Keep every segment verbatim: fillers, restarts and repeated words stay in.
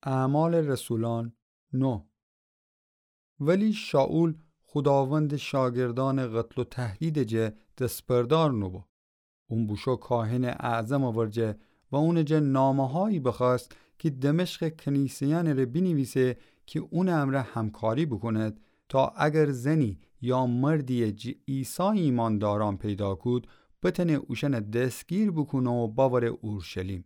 اعمال رسولان، نو. ولی شائول خوداوندٚ شاگردأنٚ قتل و تهدیدٚ جه دسبردار نوبو. اون بوشو کاهنٚ اعظمٚ ورجه و اونٚ جه نامه‌هایی بخوأست کی دمشقٚ کنیسه‌یأنٚ ره بینیویسه کی اونٚ امرأ همکاری بوکوند، تا اگر زنی یا مردیی جٚه عیسی ایماندارأن پیدا کود، بتأنه اوشأنٚ دستگیر بوکونه و بأوره اورشلیم.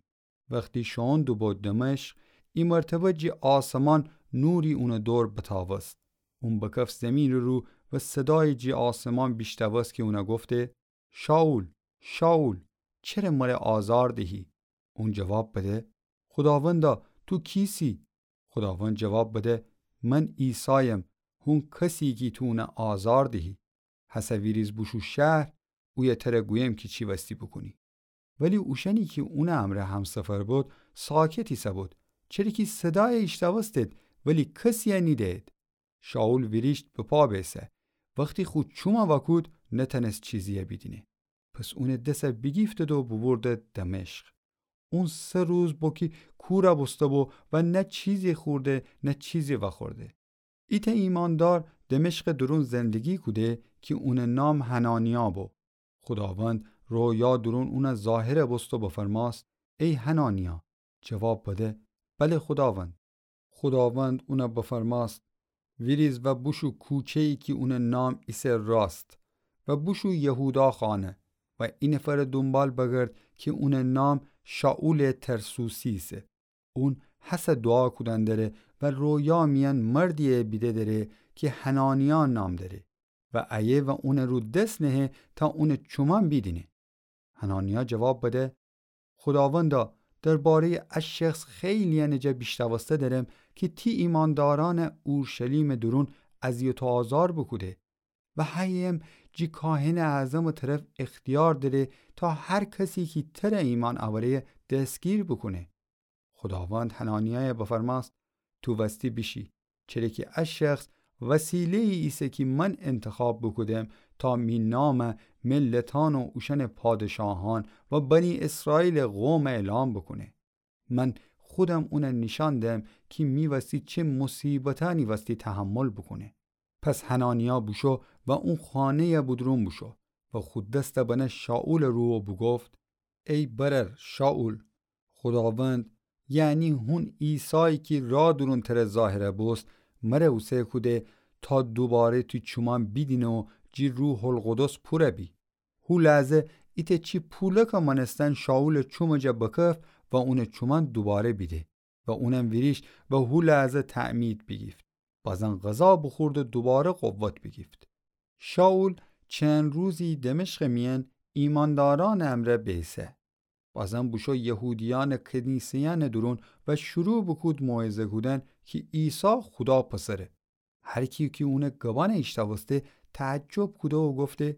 وختی شوئون دوبو دمشق، ایمرتبه جٚه آسمان نوری اونٚ دور بتأوست. اون بکف زیمینٚ رو و صدایی جٚه آسمان بیشتأوست کی اون گفته: شائول، شائول، چره مره آزار دهی؟ اون جواب بده: خوداوندا، تو کیسی؟ خوداوند جواب بده: من عیسایم، هون کسی کی تو اون آزار دهی. هسه ویریز بوشو شهر، اویه تره گویم کی چی وستی بوکونی. ولی اوشأنی کی اونٚ امرأ همسفر بود، ساکت ایسه‌بود، چره کی صدای ایشتأوستید، ولی کسی نیده‌یید. شائول ویریشت بپا بیسه. وختی خو چومه وأکود، نتأنست چیزیی بیدینه. پس اونٚ دس بیگیفتید و بوبوردید دمشق. اون سه روز بو کی کوره بوسته‌بو و نه چیزی خورده، نه چیزی وأخورده. ایتأ ایماندار دمشقٚ دورون زندگی کوده کی اونٚ نام حنانیا بو. خوداوند رویا دورون اون ظاهر بوست و بفرمأست: ای حنانیا! جواب بده: بله خوداوند. خوداوند اون بفرمأست: ویریز و بوشو کوچه‌یی کی اونٚ نام ایسه راست و بوشو یهودا خانه و ای نفرٚ دونبال بگرد کی اونٚ نام شائولٚ ترسوسی ایسه. اون هسه دوعا کودن دره و رویا میأن مردیی بیده دره کی حنانیا نام دره و ایه و اونٚ رو دس نهه تا اونٚ چومأن بیدینه. حنانیا جواب بده: خوداوندا، درباره‌یٚ ا شخص خیلی‌یأنٚ جا بیشتأوسته درم کی تی ایماندارأن اورشلیمٚ دورون اذیت و آزار بوکوده و هییم جی کاهنٚ اعظمٚ طرف اختیار دره تا هر کسی کی تره ایمأن اوره دستگیر بوکونه. خوداوند حنانیای بفرمأست: تو وستی بیشی، چره کی ا شخص وسیله‌یی ایسه کی من انتخاب بوکودم تا می نام ملتأن و اوشأنٚ پادشاهأن و بنی اسرائیلٚ قوم اعلام بوکونه. من خودم اون نیشأن دم کی می وستی چه مصیبتأنی وستی تحمل بوکونه. پس حنانیا بوشو و او خانه‌ی بودورون بوشو و خو دست بنه شائولٚ رو و بوگفت: ای برأر شائول، خوداوند، یعنی هون عیسایی کی راه دورون تره ظاهر بوست، مره اوسه کوده تا دوباره تی چومأن بیدینه و جی روح‌القدس پوره بی. هو لحظه ایتأ چی پولکٚ مأنستن شائولٚ چومٚ جا بکف و اونٚ چومأن دوباره بیده و اونم ویریشت و هو لحظه تعمید بیگیفت. بازن غذا بوخورد و دوباره قوت بیگیفت. شائول چند روزی دمشقٚ میأن ایمأندارأنٚ امرأ بیسه. بازن بوشو یهودیأنٚ کنیسه‌یأنٚ دورون و شروع بوکود موعظه کودن کی عیسی خودا پسره. هر کی کی اونٚ گبأن ایشتأوسته تعجب کوده و گفته: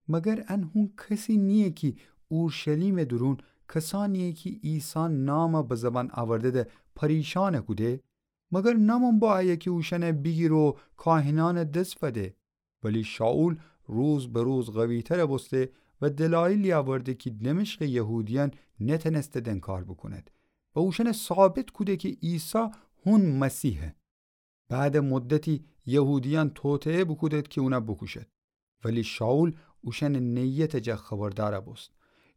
مگر ان هون کسی نییه کی اورشلیمٚ دورون کسأنیی کی عیسی نام به زبان اورده‌ده پریشأن کوده؟ مگر نمون با ایه کی اوشأن بیگیره و کاهنأنٚ دس فده؟ ولی شائول روز به روز قوی‌تر بوسته و دلایلی اورده کی دمشقٚ یهودیأن نتأنستید انکار بوکوند و اوشأن ثابت کوده کی عیسی هون مسیحه. بعدٚ مدتی یهودیأن توطئه بوکودید کی اون بوکوشید. ولی شائول اوشأنٚ نیتٚ جا خبردار بوست.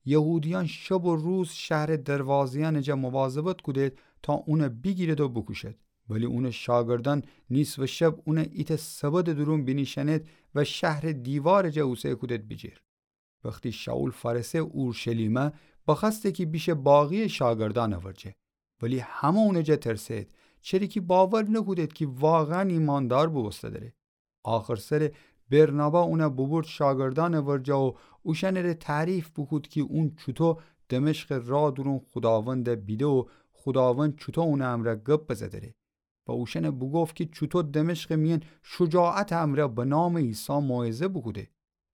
یهودیأن شب و روز شهرٚ دروازه‌یأنٚ جا مواظبت کودید تا اون بیگیرید و بوکوشید. ولی اونٚ شاگردأن نیصفٚ شب اون ایتأ سبدٚ دورون بینیشأنید و شهرٚ دیوارٚ جا اوسه کودید بیجیر. وختی شائول فأرسه اورشلیمه، بخوأسته کی بیشه باقی‌یٚ شاگردأنٚ ورجه. ولی همه اونٚ جا ترسه‌یید، چره کی باور نکودید کی واقعاً ایماندار بوبوسته دره. آخرسر برنابا اون بوبورد شاگردأنٚ ورجه و اوشأنٚ ره تعریف بوکود کی اون چوطو دمشقٚ راه دورون خوداوند بیده و خوداوند چوطو اونٚ امرأ گب بزه دره. و اوشأن بوگفت کی چوطو دمشقٚ میأن شجاعتٚ امرأ به نامٚ عیسی موعظه بوکوده.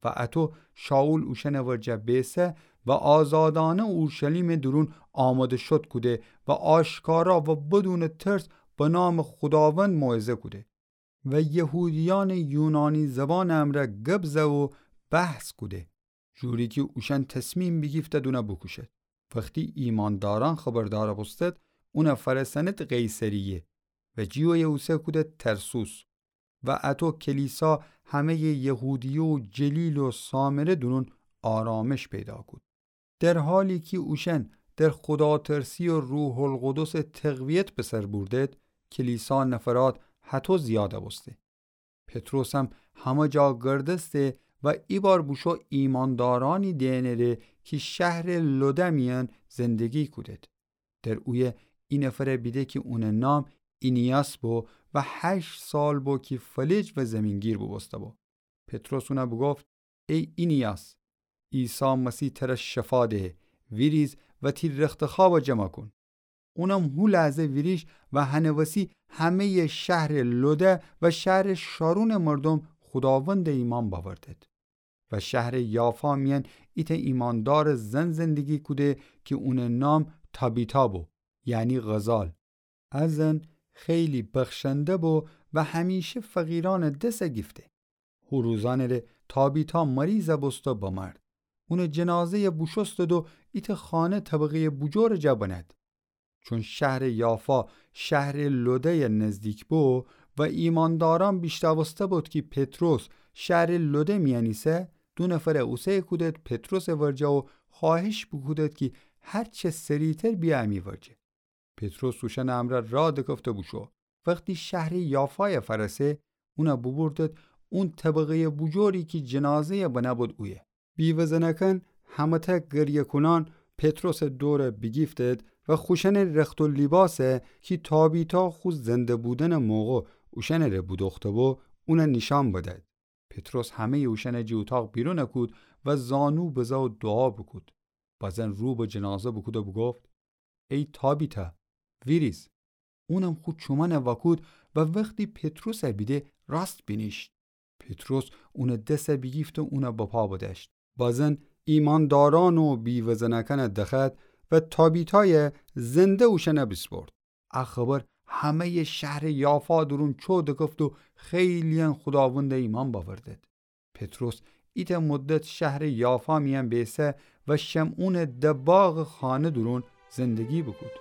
و اطو شائول اوشأنٚ ورجه بیسه و آزادأنه اورشلیمٚ دورون آماده شد کوده و آشکارا و بدونٚ ترس به نامٚ خوداوند موعظه کوده. و یهودیأنٚ یونانی زبانٚ امرأ گب زه و بحث کوده، جوری کی اوشأن تصمیم بیگیفتید اون بوکوشید. وختی ایماندارأن خبردار بوستید، اونَ فأرسأنید قیصریه و جیویه اوسه کودید ترسوس. و اَتو کلیسا همه‌یٚ یهودیه و جلیل و سامره دورون آرامش پیدا کود. در حالی کی اوشأن در خوداترسی و روح‌القدسٚ تقویت به سر بوردید، کلیسا نفرات هطو زیاد بوسته. پطرس هم همه جا گردسته و ایبار بوشو ایماندارأنی دئنٚره کی شهرٚ لده میأن زندگی کودید. در اویه ای نفرَ بیده کی اونٚ نام اینیاس بو و هشت سال بو کی فلج و زیمین‌گیر بوبوسته بو. پطرس اونَ بوگفت: ای اینیاس، عیسی مسیح ترَ شفا دهه، ویریز و تی رختخوابَ جمع کون. اونم هو لحظه ویریشت و هنٚ وسی همه‌یٚ شهرٚ لده و شهرٚ شارونٚ مردوم خوداوندَ ایمأن بأوردید. و شهرٚ یافا میأن ایتأ ایمأندارٚ زن زندگی کوده کی اونٚ نام تابیتا بو، یعنی غزال. ا زن خیلی بخشنده بو و همیشه فقیرأنٚ دس گیفته. هو روزأنٚره تابیتا مریض بوسته بمرد. اونٚ جنازه‌یَ بوشوستید و ایتأ خانه طبقه‌یٚ بوجورٚ جا بنهد. چون شهرٚ یافا شهرٚ لده‌یَ نزدیک بو و ایمأندارأن بیشنوسته بود کی پطرس شهرٚ لده میأن ایسه، دو نفرَ اوسه کودید پطرسٚ ورجه و خوأهش بوکودید کی هر چه سریعتر بیه امی ورجه. پطرس اوشأنٚ امرأ راه دکفته بوشو. وختی شهرٚ یافایَ فأرسه، اونَ بوبوردید اون طبقه‌یٚ بوجوری کی جنازه‌یَ بنه بود اویه. بیوه‌زنأکأن همه‌تأ گریه‌کونأن پطرسٚ دورَ بیگیفتید و خوشأنٚ رخت و لیباسَ کی تابیتا خو زنده بودنٚ موقع اوشأنٚره بودوخته بو، اونَ نیشأن بدید. پطرس همه‌یٚ اوشأنَ جٚه اوتاق بیرون کود و زانو بزه و دوعا بوکود. بزن رو به جنازه بوکود و بوگفت: ای تابیتا، ویریز. اونم خو چومأنَ وأکود و وختی پطرسَ بیده راست بینیشت. پطرس اونٚ دسَ بیگیفته اونَ بپا بدأشت. بزن ایمأندارأن و بیوه‌زنأکأنَ دخوأد و تابیتایَ زنده اوشأنَ بیسپرد. ا خبر همه‌یٚ شهرٚ یافا دورون چو دکفت و خیلی‌یأن خوداوندَ ایمأن بأوردید. پطرس ایتأ مدت شهرٚ یافا میأن بیسه و شمعونٚ دباغٚ خانه دورون زندگی بوکود.